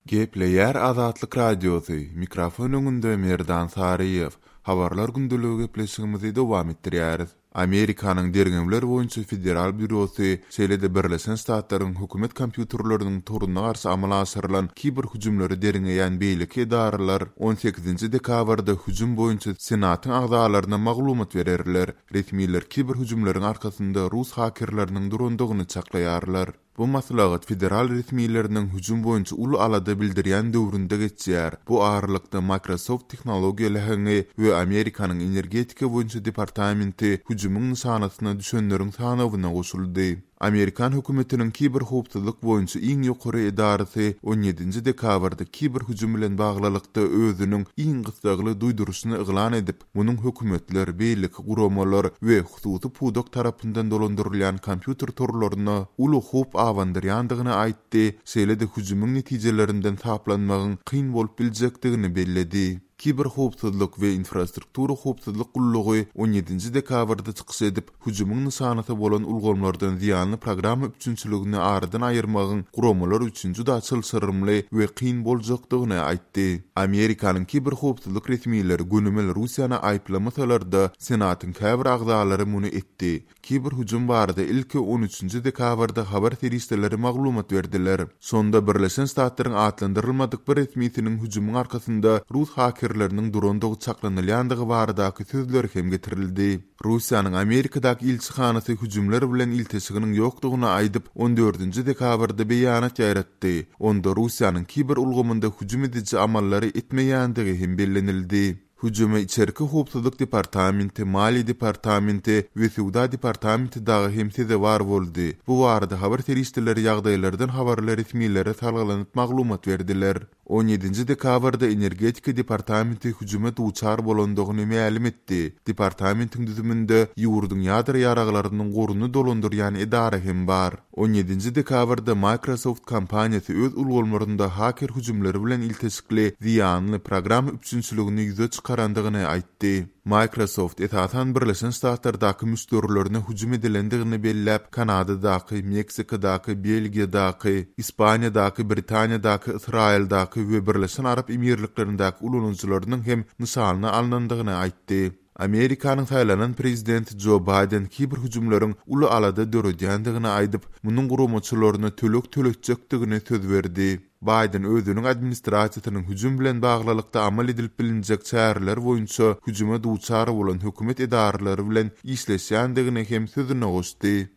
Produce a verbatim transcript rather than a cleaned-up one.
Gepleýär Azatlyk Radiosy, mikrofon öňünde Merdan Saryýew. Habarlar gündeligi gepleşigimizi dowam etdirýäris. Amerikanyň derňewler boýunça federal býurosy, şeýle-de Birleşen Ştatlaryň hökümet kompýuterleriniň toruna garşy amala aşyrylan kiber hüjümleri derňeýän beýleki edaralar on sekizinji dekabrda hüjüm boýunça Senatyň agzalaryna maglumat bererler. Resmiler kiber hüjümleriň arkasynda rus hakerleriniň durandygyny çaklaýarlar. Bu maslahat federal resmileriniň hüjüm boýunça uly alada bildirýän döwründe geçýär. Bu aralykda Microsoft tehnologiýa läheňi we Amerikanyň energetika boýunça departamenti hüjümiň nyşanasyna düşenleriň sanawyna goşuldy. Amerikan hökümetiniň kiber howpsuzlyk boýunça iň ýokary edarasy on ýedinji dekabrda kiber hüjüm bilen baglylykda özüniň iň gyssagly duýduryşyny yglan edip, munuň hökümetler, beýleki guramalar we hususy pudak tarapyndan dolandyrylýan kompýuter torlaryna uly howp abandyrýandygyny aýtdy, şeýle-de hüjümiň netijelerinden saplanmagyň kyn bolup biljekdigini belledi. Kiber howpsuzlyk we infrastruktura howpsuzlyk gullugy on ýedinji dekabrda çykyş edip, hüjümiň nyşanasy bolan ulgamlardan zyýanly programma üpjünçiligini aradan aýyrmagyň guramalar üçin juda çylşyrymly we kyn boljakdygyny aýtdy. Amerikanyň kiber howpsuzlyk resmileri gönümel Russiýany aýyplamasalar-da, Senatyň käbir agzalary muny etdi. Kiber hüjüm barada ilki on üçünji dekabrda habar serişdeleri maglumat berdiler. Şonda Birleşen Ştatlaryň atlandyrylmadyk bir resmisiniň hüjümiň arkasynda rus hakerleriniň durandygy çaklanylýandygy baradaky sözleri hem getirildi. Russiýanyň Amerikadaky ilçihanasy hüjümler bilen ilteşiginiň ýokdugyny aýdyp, on dördünji dekabrda beýanat ýaýratdy. Onda Russiýanyň kiber ulgamynda hüjüm ediji amallary etmeýändigi hem bellenildi. Hüjüme içerki howpsuzlyk departamenti, maliýe departamenti we söwda departamenti dagy hem sezewar boldy. Bu barada habar serişdeleri ýagdaýlardan habarly resmilere salgylanyp maglumat berdiler. on ýedinji dekabrda energetika departamenti hüjüme duçar bolandygyny mälim etdi. Departamentiň düzüminde ýurduň ýadro ýaraglarynyň goruny dolandyrýan edara hem bar. on ýedinji dekabrda Microsoft kompaniýasy öz ulgamlarynda haker hüjümleri bilen ilteşikli zyýanly programma üpjünçiligini ýüze çykarandygyny aýtdy. Microsoft esasan Birleşen Ştatlardaky müşderilerine hüjüm edilendigini belläp, Kanadadaky, Meksikadaky, Belgiýadaky, Ispaniýadaky, Britaniýadaky, Ysraýyldaky we Birleşen Arap Emirliklerindäki ulanyjylarynyň hem nyşanyna alnandygyny aýtdy. Amerikanyň saýlanan prezidenti Joe Biden kiber hüjümleriň uly alada döredýändigini aýdyp, munuň guramaçylaryna töleg töletjekdigini söz berdi. Biden özüniň administrasiýasynyň hüjüm bilen baglylykda amal edilip bilinjek çäreler boýunça hüjüme duçar bolan hökümet edaralary bilen işleşýändigini hem sözüne goşdy.